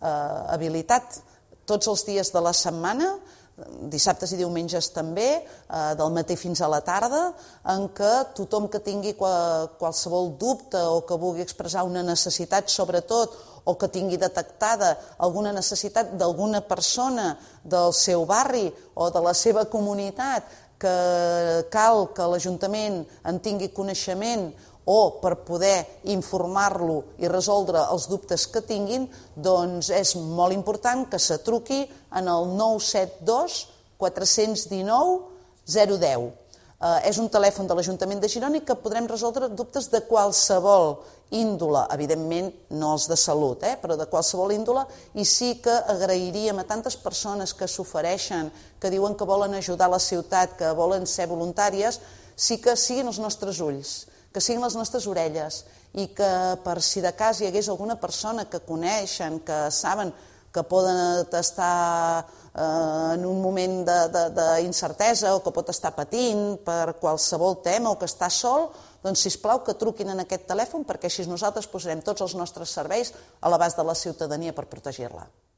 habilitat tots els dies de la setmana, dissabtes i diumenges també, del matí fins a la tarda, en què tothom que tingui qualsevol dubte o que vulgui expressar una necessitat, sobretot, o que tingui detectada alguna necessitat d'alguna persona del seu barri o de la seva comunitat que cal que l'Ajuntament en tingui coneixement o per poder informar-lo i resoldre els dubtes que tinguin, doncs és molt important que se truqui en el 972 419 010. És un telèfon de l'Ajuntament de Girona i que podrem resoldre dubtes de qualsevol índole, evidentment no els de salut, però de qualsevol índole, i sí que agrairíem a tantes persones que s'ofereixen, que diuen que volen ajudar la ciutat, que volen ser voluntàries, sí que siguin els nostres ulls, que siguin les nostres orelles i que per si de cas hi hagués alguna persona que coneixen, que saben que poden estar en un moment d'incertesa o que pot estar patint per qualsevol tema o que està sol, doncs sisplau que truquin en aquest telèfon perquè així nosaltres posarem tots els nostres serveis a l'abast de la ciutadania per protegir-la.